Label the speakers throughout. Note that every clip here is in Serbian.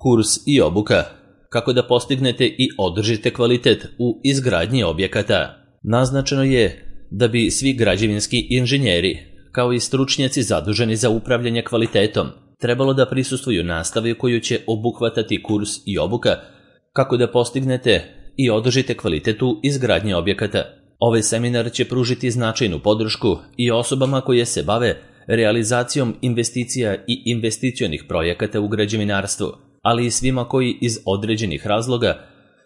Speaker 1: Kurs i obuka. Kako da postignete i održite kvalitet u izgradnji objekata. Naznačeno je da bi svi građevinski inženjeri, kao i stručnjaci zaduženi za upravljanje kvalitetom, trebalo da prisustvuju nastavi koju će obuhvatati kurs i obuka kako da postignete i održite kvalitet u izgradnji objekata. Ovaj seminar će pružiti značajnu podršku i osobama koje se bave realizacijom investicija i investicionih projekata u građevinarstvu, ali i svima koji iz određenih razloga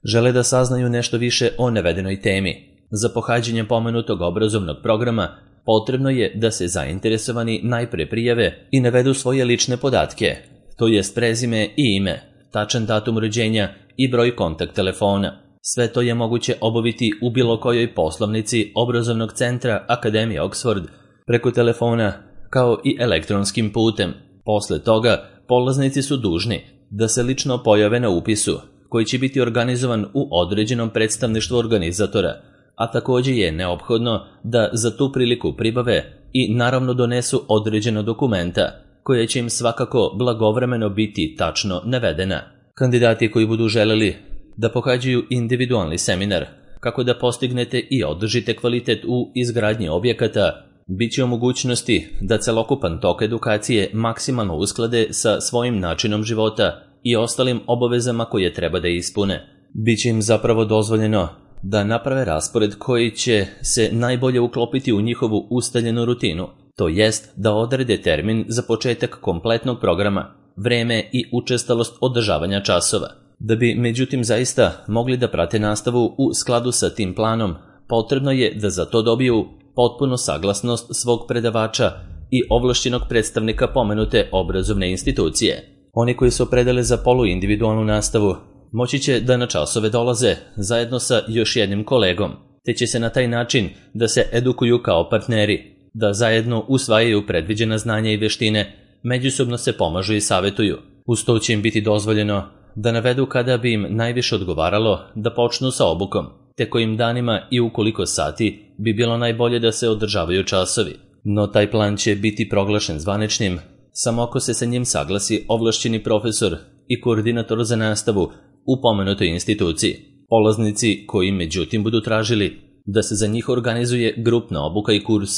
Speaker 1: žele da saznaju nešto više o navedenoj temi. Za pohađanje pomenutog obrazovnog programa potrebno je da se zainteresovani najpre prijave i navedu svoje lične podatke, to jest prezime i ime, tačan datum rođenja i broj kontakt telefona. Sve to je moguće obaviti u bilo kojoj poslovnici obrazovnog centra Akademije Oxford preko telefona kao i elektronskim putem. Posle toga polaznici su dužni da se lično pojave na upisu koji će biti organizovan u određenom predstavništvu organizatora, a također je neophodno da za tu priliku pribave i naravno donesu određena dokumenta koje će im svakako blagovremeno biti tačno navedena. Kandidati koji budu želeli da pohađaju individualni seminar kako da postignete i održite kvalitet u izgradnji objekata, bit će u mogućnosti da celokupan tok edukacije maksimalno usklade sa svojim načinom života i ostalim obavezama koje treba da ispune. Biće im zapravo dozvoljeno da naprave raspored koji će se najbolje uklopiti u njihovu ustaljenu rutinu, to jest da odrede termin za početak kompletnog programa, vreme i učestalost održavanja časova. Da bi međutim zaista mogli da prate nastavu u skladu sa tim planom, potrebno je da za to dobiju potpunu saglasnost svog predavača i ovlašćenog predstavnika pomenute obrazovne institucije. Oni koji se opredele za poluindividualnu nastavu moći će da na časove dolaze zajedno sa još jednim kolegom, te će se na taj način da se edukuju kao partneri, da zajedno usvajaju predviđena znanja i veštine, međusobno se pomažu i savjetuju. Uz to će im biti dozvoljeno da navedu kada bi im najviše odgovaralo da počnu sa obukom, te kojim danima i u koliko sati bi bilo najbolje da se održavaju časovi. No taj plan će biti proglašen zvaničnim samo ako se sa njim saglasi ovlašćeni profesor i koordinator za nastavu u pomenutoj instituciji. Polaznici koji međutim budu tražili da se za njih organizuje grupna obuka i kurs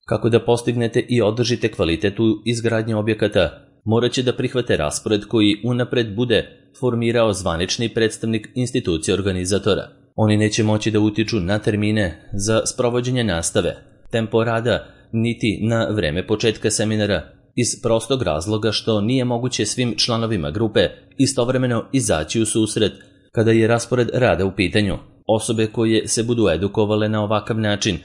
Speaker 1: kako da postignete i održite kvalitet u izgradnji objekata, morat će da prihvate raspored koji unapred bude formirao zvanični predstavnik institucije organizatora. Oni neće moći da utiču na termine za sprovođenje nastave, tempo rada, niti na vreme početka seminara, iz prostog razloga što nije moguće svim članovima grupe istovremeno izaći u susret kada je raspored rada u pitanju. Osobe koje se budu edukovale na ovakav način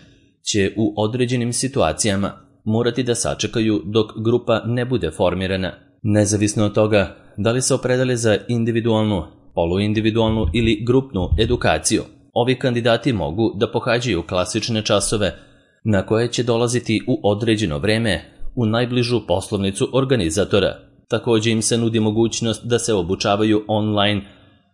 Speaker 1: će u određenim situacijama morati da sačekaju dok grupa ne bude formirana. Nezavisno od toga da li se opredele za individualnu, poluindividualnu ili grupnu edukaciju, ovi kandidati mogu da pohađaju klasične časove na koje će dolaziti u određeno vreme u najbližu poslovnicu organizatora. Također im se nudi mogućnost da se obučavaju online,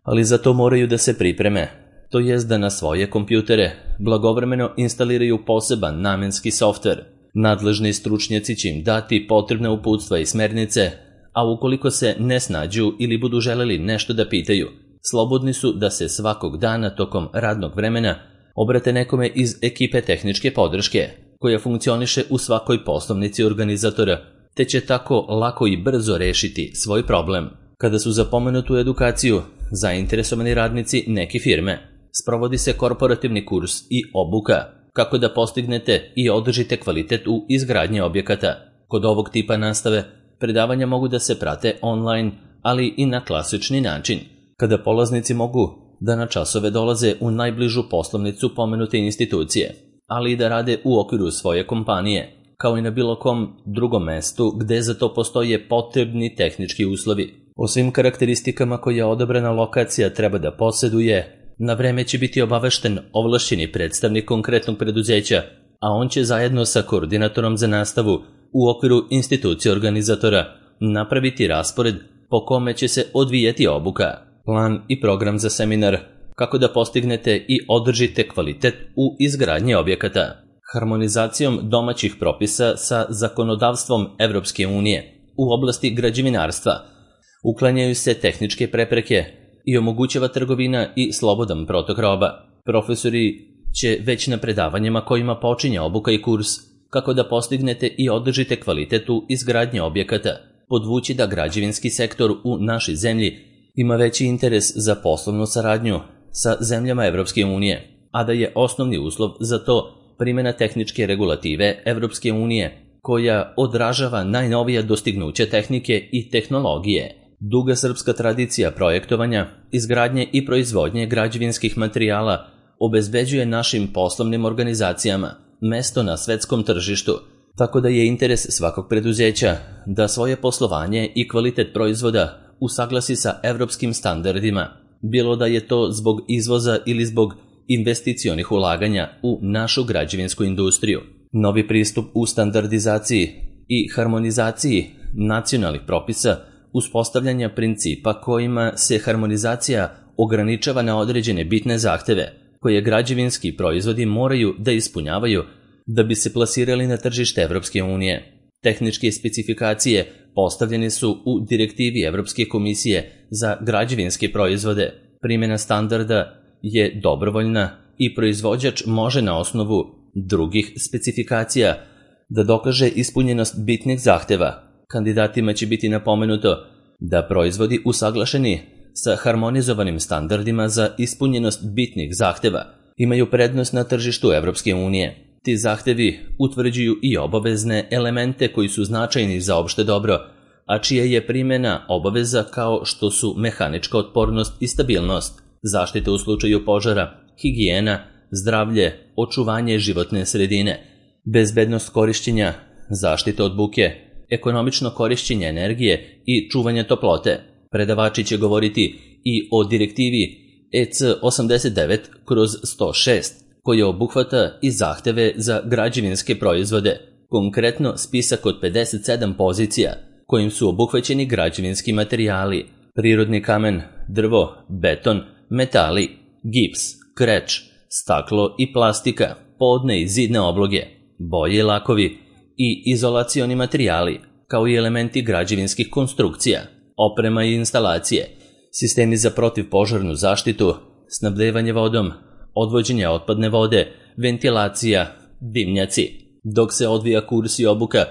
Speaker 1: ali za to moraju da se pripreme, to jest da na svoje kompjutere blagovremeno instaliraju poseban namenski softver. Nadležni stručnjaci će im dati potrebne uputstva i smernice, a ukoliko se ne snađu ili budu želeli nešto da pitaju, slobodni su da se svakog dana tokom radnog vremena obrate nekome iz ekipe tehničke podrške, koja funkcioniše u svakoj poslovnici organizatora, te će tako lako i brzo rešiti svoj problem. Kada su za pomenutu edukaciju zainteresovani radnici neke firme, sprovodi se korporativni kurs i obuka kako da postignete i održite kvalitet u izgradnji objekata. Kod ovog tipa nastave predavanja mogu da se prate online, ali i na klasični način, kada polaznici mogu da na časove dolaze u najbližu poslovnicu pomenute institucije, ali i da rade u okviru svoje kompanije, kao i na bilo kom drugom mestu gde za to postoje potrebni tehnički uslovi. O svim karakteristikama koje odabrana lokacija treba da poseduje, na vreme će biti obavešten ovlašćeni predstavnik konkretnog preduzeća, a on će zajedno sa koordinatorom za nastavu u okviru institucije organizatora napraviti raspored po kome će se odvijati obuka, plan i program za seminar, kako da postignete i održite kvalitet u izgradnji objekata. Harmonizacijom domaćih propisa sa zakonodavstvom Evropske unije u oblasti građevinarstva Uklanjaju se tehničke prepreke i omogućava trgovina i slobodan protok roba. Profesori će već na predavanjima kojima počinje obuka i kurs kako da postignete i održite kvalitet u izgradnji objekata, podvući da građevinski sektor u našoj zemlji ima veći interes za poslovnu saradnju sa zemljama Evropske unije, a da je osnovni uslov za to primjena tehničke regulative Evropske unije koja odražava najnovija dostignuća tehnike i tehnologije. Duga srpska tradicija projektovanja, izgradnje i proizvodnje građevinskih materijala obezbeđuje našim poslovnim organizacijama mesto na svetskom tržištu, tako da je interes svakog preduzeća da svoje poslovanje i kvalitet proizvoda usaglasi sa evropskim standardima, bilo da je to zbog izvoza ili zbog investicionih ulaganja u našu građevinsku industriju. Novi pristup u standardizaciji i harmonizaciji nacionalnih propisa, uspostavljanja principa kojima se harmonizacija ograničava na određene bitne zahteve koje građevinski proizvodi moraju da ispunjavaju da bi se plasirali na tržište Evropske unije. Tehničke specifikacije postavljene su u direktivi Evropske komisije za građevinske proizvode. Primjena standarda je dobrovoljna i proizvođač može na osnovu drugih specifikacija da dokaže ispunjenost bitnih zahteva. Kandidatima će biti napomenuto da proizvodi usaglašeni sa harmonizovanim standardima za ispunjenost bitnih zahteva imaju prednost na tržištu Evropske unije. Ti zahtevi utvrđuju i obavezne elemente koji su značajni za opšte dobro, a čija je primjena obaveza kao što su mehanička otpornost i stabilnost, zaštita u slučaju požara, higijena, zdravlje, očuvanje životne sredine, bezbednost korišćenja, zaštita od buke, ekonomično korišćenje energije i čuvanje toplote. Predavači će govoriti i o direktivi EC 89/106, koja obuhvata i zahteve za građevinske proizvode, konkretno spisak od 57 pozicija, kojim su obuhvaćeni građevinski materijali, prirodni kamen, drvo, beton, metali, gips, kreč, staklo i plastika, podne i zidne obloge, boje i lakovi i izolacioni materijali, kao i elementi građevinskih konstrukcija, oprema i instalacije, sistemi za protivpožarnu zaštitu, snabdevanje vodom, odvođenje otpadne vode, ventilacija, dimnjaci. Dok se odvija kurs i obuka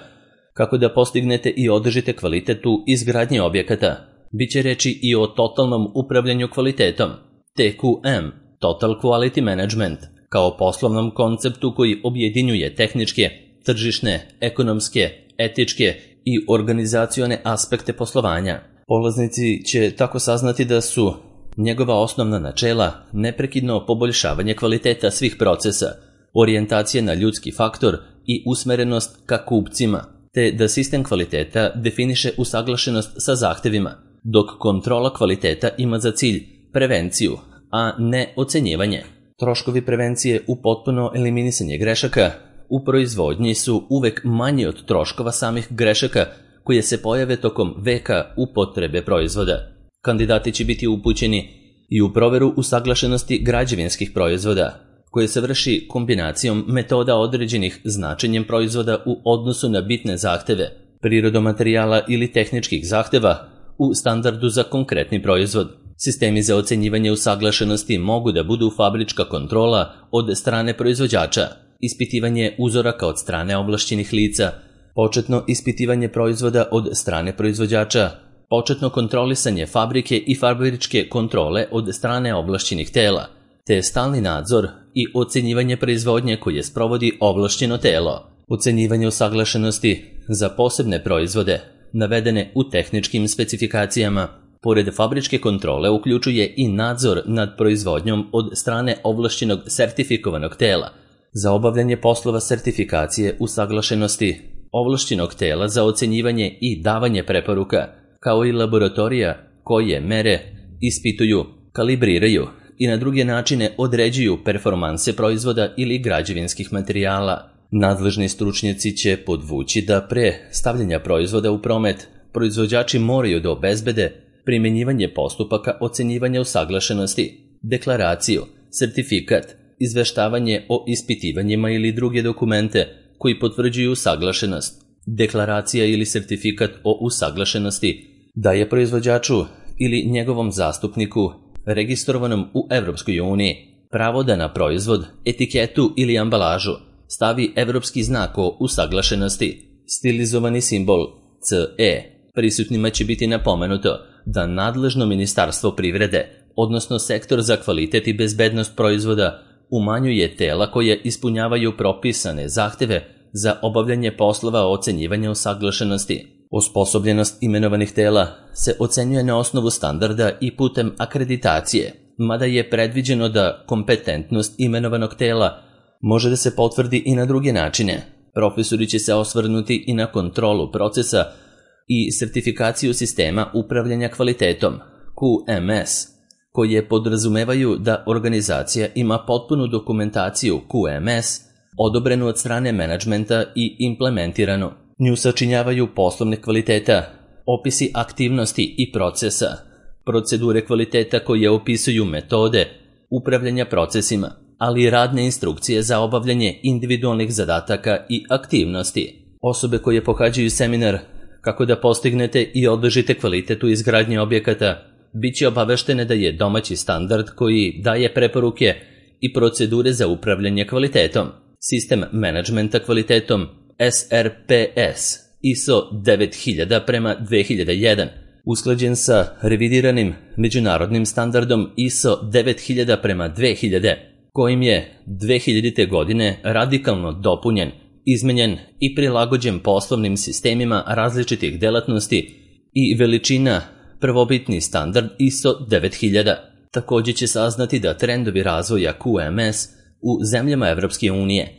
Speaker 1: kako da postignete i održite kvalitet u izgradnji objekata, bit će reči i o totalnom upravljanju kvalitetom, TQM, Total Quality Management, kao poslovnom konceptu koji objedinjuje tehničke, tržišne, ekonomske, etičke i organizacione aspekte poslovanja. Polaznici će tako saznati da su njegova osnovna načela neprekidno poboljšavanje kvaliteta svih procesa, orijentacija na ljudski faktor i usmerenost ka kupcima, te da sistem kvaliteta definiše usaglašenost sa zahtevima, dok kontrola kvaliteta ima za cilj prevenciju, a ne ocenjivanje. Troškovi prevencije u potpuno eliminisanje grešaka u proizvodnji su uvek manji od troškova samih grešaka koje se pojave tokom veka upotrebe proizvoda. Kandidati će biti upućeni i u proveru usaglašenosti građevinskih proizvoda, koje se vrši kombinacijom metoda određenih značenjem proizvoda u odnosu na bitne zahteve, prirodom materijala ili tehničkih zahteva u standardu za konkretni proizvod. Sistemi za ocenjivanje usaglašenosti mogu da budu fabrička kontrola od strane proizvođača, ispitivanje uzoraka od strane ovlašćenih lica, početno ispitivanje proizvoda od strane proizvođača, početno kontrolisanje fabrike i fabričke kontrole od strane ovlašćenih tela, te stalni nadzor i ocenjivanje proizvodnje koje sprovodi ovlašćeno telo. Ocenjivanje usaglašenosti za posebne proizvode, navedene u tehničkim specifikacijama, pored fabričke kontrole uključuje i nadzor nad proizvodnjom od strane ovlašćenog sertifikovanog tela. Za obavljanje poslova sertifikacije usaglašenosti, ovlašćenog tela za ocenjivanje i davanje preporuka, kao i laboratorija koje mere, ispituju, kalibriraju i na druge načine određuju performanse proizvoda ili građevinskih materijala. Nadležni stručnjaci će podvući da pre stavljanja proizvoda u promet, proizvođači moraju da obezbede primjenjivanje postupaka ocenjivanja usaglašenosti, deklaraciju, sertifikat, izveštavanje o ispitivanjima ili druge dokumente koji potvrđuju usaglašenost, deklaracija ili sertifikat o usaglašenosti daje proizvođaču ili njegovom zastupniku registrovanom u Evropskoj uniji pravo da na proizvod, etiketu ili ambalažu stavi evropski znak o usaglašenosti, stilizovani simbol CE. Prisutnima će biti napomenuto da nadležno Ministarstvo privrede, odnosno Sektor za kvalitet i bezbednost proizvoda, umanjuje tela koje ispunjavaju propisane zahteve za obavljanje poslova ocenjivanja usaglašenosti. Osposobljenost imenovanih tela se ocenjuje na osnovu standarda i putem akreditacije, mada je predviđeno da kompetentnost imenovanog tela može da se potvrdi i na druge načine. Profesori će se osvrnuti i na kontrolu procesa i sertifikaciju sistema upravljanja kvalitetom, QMS, koje podrazumevaju da organizacija ima potpunu dokumentaciju QMS, odobrenu od strane menadžmenta i implementiranu. Nju sačinjavaju poslovne kvaliteta, opisi aktivnosti i procesa, procedure kvaliteta koje opisuju metode upravljanja procesima, ali i radne instrukcije za obavljanje individualnih zadataka i aktivnosti. Osobe koje pohađaju seminar kako da postignete i održite kvalitet u izgradnji objekata bit će obaveštene da je domaći standard koji daje preporuke i procedure za upravljanje kvalitetom, sistem menadžmenta kvalitetom SRPS ISO 9000/2001, usklađen sa revidiranim međunarodnim standardom ISO 9000/2000, kojim je 2000. godine radikalno dopunjen, izmenjen i prilagođen poslovnim sistemima različitih delatnosti i veličina prvobitni standard ISO 9000. Također će saznati da trendovi razvoja QMS u zemljama Evropske unije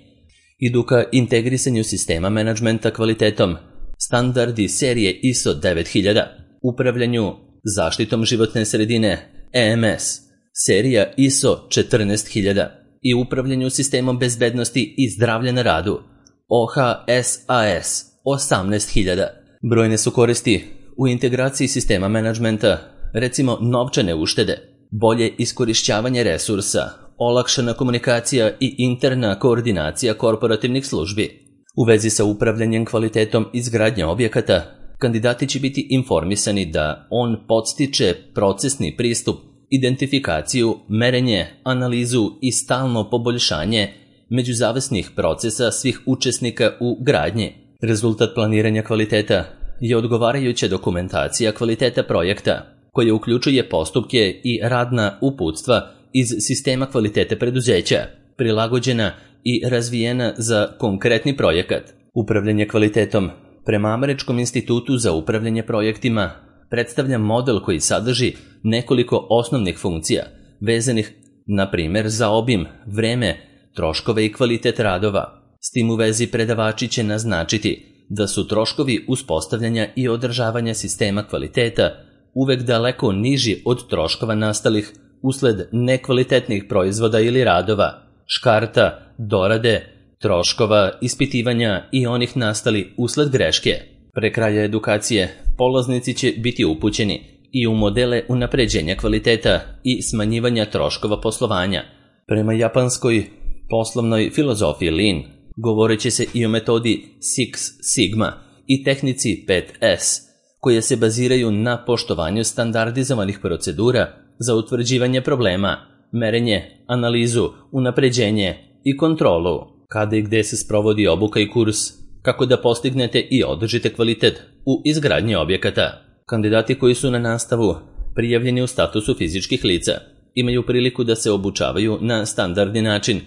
Speaker 1: idu ka integrisanju sistema menadžmenta kvalitetom, standardi serije ISO 9000, upravljanju zaštitom životne sredine EMS, serija ISO 14000 i upravljanju sistemom bezbednosti i zdravlja na radu OHSAS 18000. Brojne su koristi u integraciji sistema menadžmenta, recimo novčane uštede, bolje iskorišćavanje resursa, olakšana komunikacija i interna koordinacija korporativnih službi. U vezi sa upravljanjem kvalitetom izgradnje objekata, kandidati će biti informisani da on podstiče procesni pristup, identifikaciju, merenje, analizu i stalno poboljšanje međuzavisnih procesa svih učesnika u gradnji. Rezultat planiranja kvaliteta je odgovarajuća dokumentacija kvaliteta projekta, koja uključuje postupke i radna uputstva iz sistema kvalitete preduzeća, prilagođena i razvijena za konkretni projekat. Upravljanje kvalitetom prema Američkom institutu za upravljanje projektima predstavlja model koji sadrži nekoliko osnovnih funkcija, vezanih, na primjer, za obim, vreme, troškove i kvalitet radova. S tim u vezi predavači će naznačiti da su troškovi uspostavljanja i održavanja sistema kvaliteta uvek daleko niži od troškova nastalih usled nekvalitetnih proizvoda ili radova, škarta, dorade, troškova, ispitivanja i onih nastali usled greške. Pre kraja edukacije, polaznici će biti upućeni i u modele unapređenja kvaliteta i smanjivanja troškova poslovanja. Prema japanskoj poslovnoj filozofiji Lean, govoreći se i o metodi Six Sigma i tehnici 5S, koje se baziraju na poštovanju standardizovanih procedura za utvrđivanje problema, merenje, analizu, unapređenje i kontrolu. Kada i gde se sprovodi obuka i kurs, kako da postignete i održite kvalitet u izgradnji objekata. Kandidati koji su na nastavu prijavljeni u statusu fizičkih lica imaju priliku da se obučavaju na standardni način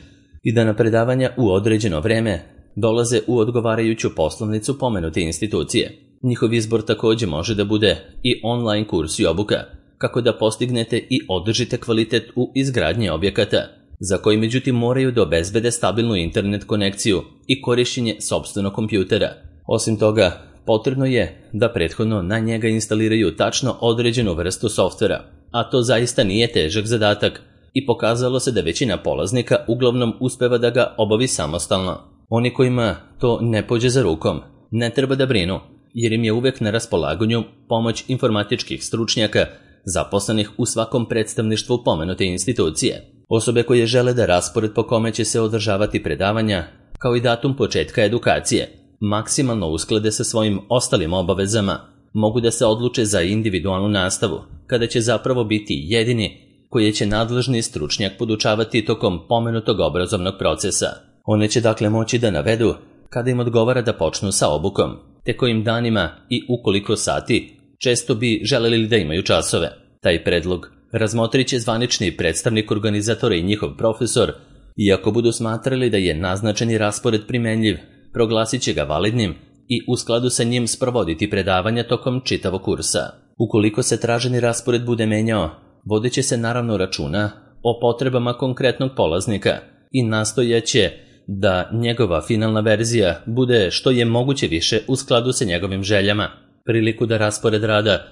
Speaker 1: i da na predavanja u određeno vreme dolaze u odgovarajuću poslovnicu pomenute institucije. Njihov izbor također može da bude i online kurs i obuka, kako da postignete i održite kvalitet u izgradnji objekata, za koji međutim moraju da obezbede stabilnu internet konekciju i korišćenje sopstvenog kompjutera. Osim toga, potrebno je da prethodno na njega instaliraju tačno određenu vrstu softvera, a to zaista nije težak zadatak i pokazalo se da većina polaznika uglavnom uspeva da ga obavi samostalno. Oni kojima to ne pođe za rukom, ne treba da brinu, jer im je uvek na raspolaganju pomoć informatičkih stručnjaka zaposlenih u svakom predstavništvu pomenute institucije. Osobe koje žele da raspored po kome će se održavati predavanja, kao i datum početka edukacije, maksimalno usklade sa svojim ostalim obavezama, mogu da se odluče za individualnu nastavu, kada će zapravo biti jedini koje će nadležni stručnjak podučavati tokom pomenutog obrazovnog procesa. One će dakle moći da navedu kada im odgovara da počnu sa obukom, te kojim danima i u koliko sati često bi želeli da imaju časove. Taj predlog razmotrit će zvanični predstavnik organizatora i njihov profesor, i ako budu smatrali da je naznačeni raspored primenljiv, proglasit će ga validnim i u skladu sa njim sprovoditi predavanja tokom čitavog kursa. Ukoliko se traženi raspored bude menjao, vodit će se naravno računa o potrebama konkretnog polaznika i nastojaće da njegova finalna verzija bude što je moguće više u skladu sa njegovim željama. Priliku da raspored rada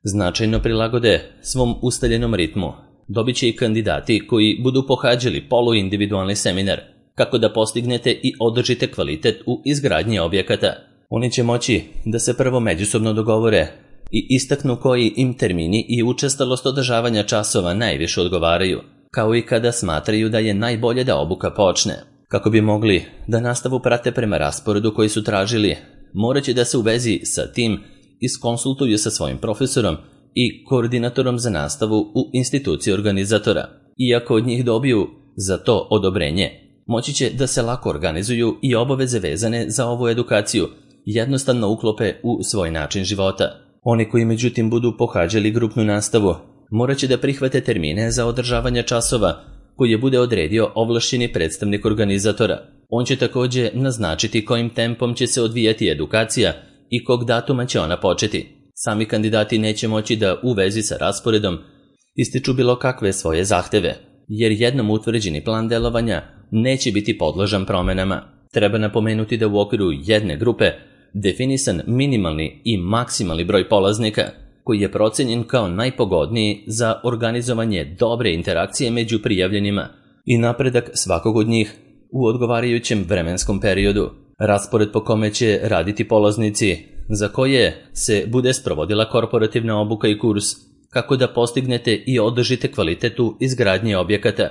Speaker 1: značajno prilagode svom ustaljenom ritmu dobit će i kandidati koji budu pohađali poluindividualni seminar, kako da postignete i održite kvalitet u izgradnji objekata. Oni će moći da se prvo međusobno dogovore i istaknu koji im termini i učestalost održavanja časova najviše odgovaraju, kao i kada smatraju da je najbolje da obuka počne. Kako bi mogli da nastavu prate prema rasporedu koji su tražili, morat će da se u vezi sa tim iskonsultuju sa svojim profesorom i koordinatorom za nastavu u instituciji organizatora. Iako od njih dobiju za to odobrenje, moći će da se lako organizuju i obaveze vezane za ovu edukaciju jednostavno uklope u svoj način života. Oni koji međutim budu pohađali grupnu nastavu, morat će da prihvate termine za održavanje časova koje bude odredio ovlašćeni predstavnik organizatora. On će također naznačiti kojim tempom će se odvijati edukacija i kog datuma će ona početi. Sami kandidati neće moći da u vezi sa rasporedom ističu bilo kakve svoje zahteve, jer jednom utvrđeni plan delovanja neće biti podložan promenama. Treba napomenuti da u okviru jedne grupe definisan minimalni i maksimalni broj polaznika, koji je procenjen kao najpogodniji za organizovanje dobre interakcije među prijavljenima i napredak svakog od njih u odgovarajućem vremenskom periodu. Raspored po kome će raditi polaznici za koje se bude sprovodila korporativna obuka i kurs, kako da postignete i održite kvalitet u izgradnji objekata,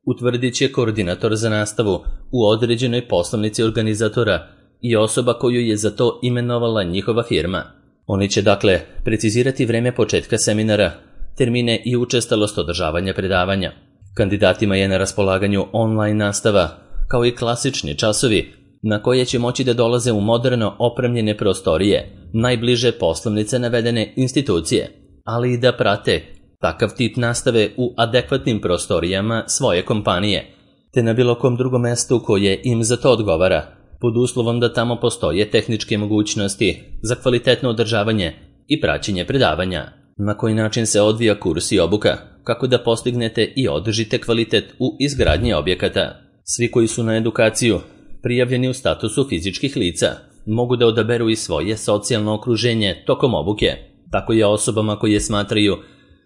Speaker 1: utvrdit će koordinator za nastavu u određenoj poslovnici organizatora i osoba koju je za to imenovala njihova firma. Oni će dakle precizirati vreme početka seminara, termine i učestalost održavanja predavanja. Kandidatima je na raspolaganju online nastava, kao i klasični časovi na koje će moći da dolaze u moderno opremljene prostorije, najbliže poslovnice navedene institucije, ali i da prate takav tip nastave u adekvatnim prostorijama svoje kompanije, te na bilo kom drugom mestu koje im za to odgovara, pod uslovom da tamo postoje tehničke mogućnosti za kvalitetno održavanje i praćenje predavanja. Na koji način se odvija kurs i obuka, kako da postignete i održite kvalitet u izgradnji objekata. Svi koji su na edukaciju prijavljeni u statusu fizičkih lica mogu da odaberu i svoje socijalno okruženje tokom obuke. Tako je osobama koje smatraju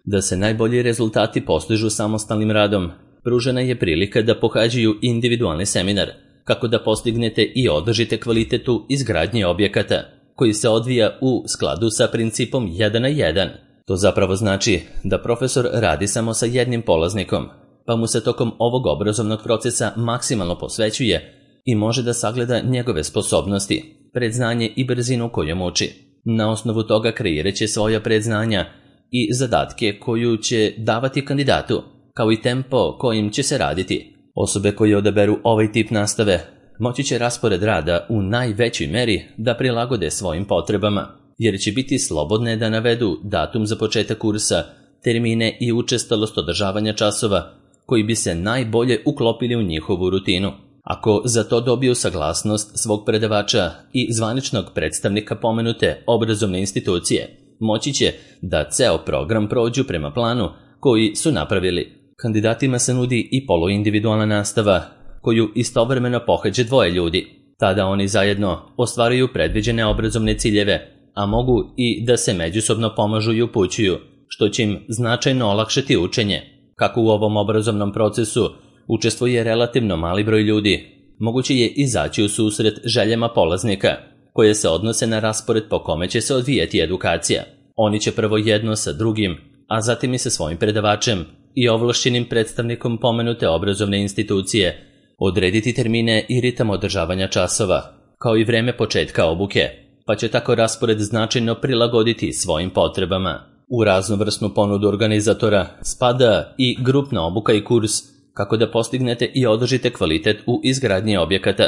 Speaker 1: da se najbolji rezultati postižu samostalnim radom pružena je prilika da pohađaju individualni seminar, kako da postignete i održite kvalitet u izgradnji objekata, koji se odvija u skladu sa principom 1 na 1. To zapravo znači da profesor radi samo sa jednim polaznikom, pa mu se tokom ovog obrazovnog procesa maksimalno posvećuje i može da sagleda njegove sposobnosti, predznanje i brzinu kojom uči. Na osnovu toga kreirat će svoja predznanja i zadatke koju će davati kandidatu, kao i tempo kojim će se raditi. Osobe koje odaberu ovaj tip nastave moći će raspored rada u najvećoj meri da prilagode svojim potrebama, jer će biti slobodne da navedu datum za početak kursa, termine i učestalost održavanja časova koji bi se najbolje uklopili u njihovu rutinu. Ako za to dobiju saglasnost svog predavača i zvaničnog predstavnika pomenute obrazovne institucije, moći će da ceo program prođu prema planu koji su napravili. Kandidatima se nudi i poluindividualna nastava, koju istovremeno pohađa dvoje ljudi. Tada oni zajedno ostvaruju predviđene obrazovne ciljeve, a mogu i da se međusobno pomažu i upućuju, što će im značajno olakšati učenje. Kako u ovom obrazovnom procesu učestvuje relativno mali broj ljudi, moguće je izaći u susret željama polaznika, koje se odnose na raspored po kome će se odvijati edukacija. Oni će prvo jedno sa drugim, a zatim i sa svojim predavačem i ovlašćenim predstavnikom pomenute obrazovne institucije odrediti termine i ritam održavanja časova, kao i vreme početka obuke. pa će tako raspored značajno prilagoditi svojim potrebama. U raznovrsnu ponudu organizatora spada i grupna obuka i kurs kako da postignete i održite kvalitet u izgradnji objekata.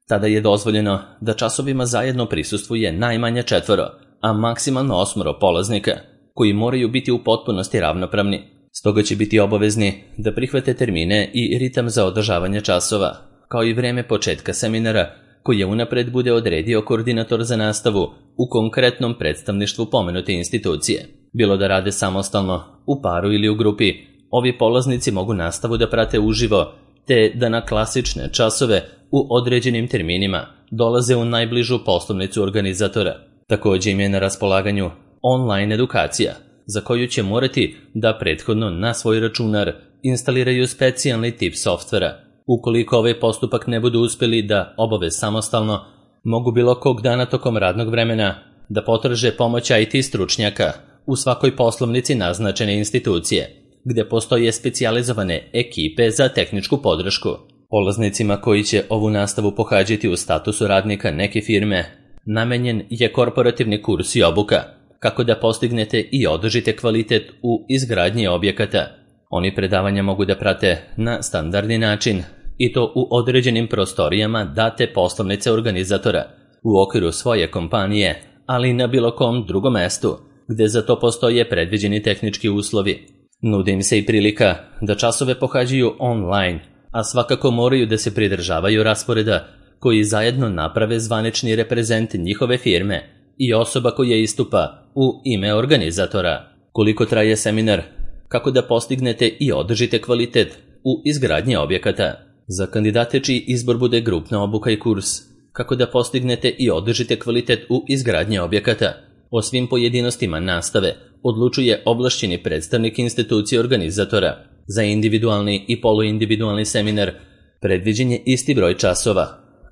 Speaker 1: Tada je dozvoljeno da časovima zajedno prisustvuje najmanje 4, a maksimalno 8 polaznika, koji moraju biti u potpunosti ravnopravni. Stoga će biti obavezni da prihvate termine i ritam za održavanje časova, kao i vreme početka seminara koje unapred bude odredio koordinator za nastavu u konkretnom predstavništvu pomenute institucije. Bilo da rade samostalno, u paru ili u grupi, ovi polaznici mogu nastavu da prate uživo, te da na klasične časove u određenim terminima dolaze u najbližu poslovnicu organizatora. Također im je na raspolaganju online edukacija, za koju će morati da prethodno na svoj računar instaliraju specijalni tip softvera. Ukoliko ovaj postupak ne budu uspjeli da obave samostalno, mogu bilo kog dana tokom radnog vremena da potraže pomoć IT stručnjaka u svakoj poslovnici naznačene institucije, gde postoje specijalizovane ekipe za tehničku podršku. Polaznicima koji će ovu nastavu pohađati u statusu radnika neke firme, namenjen je korporativni kurs i obuka, kako da postignete i održite kvalitet u izgradnji objekata. Oni predavanja mogu da prate na standardni način, i to u određenim prostorijama date poslovnice organizatora, u okviru svoje kompanije, ali i na bilo kom drugom mestu, gde za to postoje predviđeni tehnički uslovi. Nudi im se i prilika da časove pohađaju online, a svakako moraju da se pridržavaju rasporeda koji zajedno naprave zvanični reprezent njihove firme i osoba koja istupa u ime organizatora. Koliko traje seminar? Kako da postignete i održite kvalitet u izgradnji objekata? Za kandidate čiji izbor bude grupna obuka i kurs, kako da postignete i održite kvalitet u izgradnji objekata? O svim pojedinostima nastave odlučuje ovlašćeni predstavnik institucije organizatora. Za individualni i poluindividualni seminar predviđen je isti broj časova,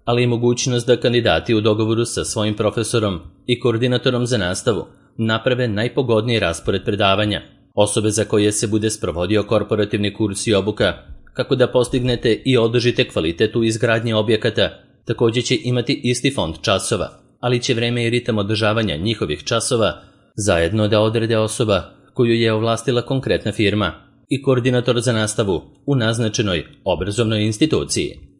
Speaker 1: ali i mogućnost da kandidati u dogovoru sa svojim profesorom i koordinatorom za nastavu naprave najpogodniji raspored predavanja. Osobe za koje se bude sprovodio korporativni kurs i obuka, kako da postignete i održite kvalitet u izgradnji objekata, također će imati isti fond časova, ali će vreme i ritam održavanja njihovih časova zajedno da odrede osoba koju je ovlastila konkretna firma i koordinator za nastavu u naznačenoj obrazovnoj instituciji.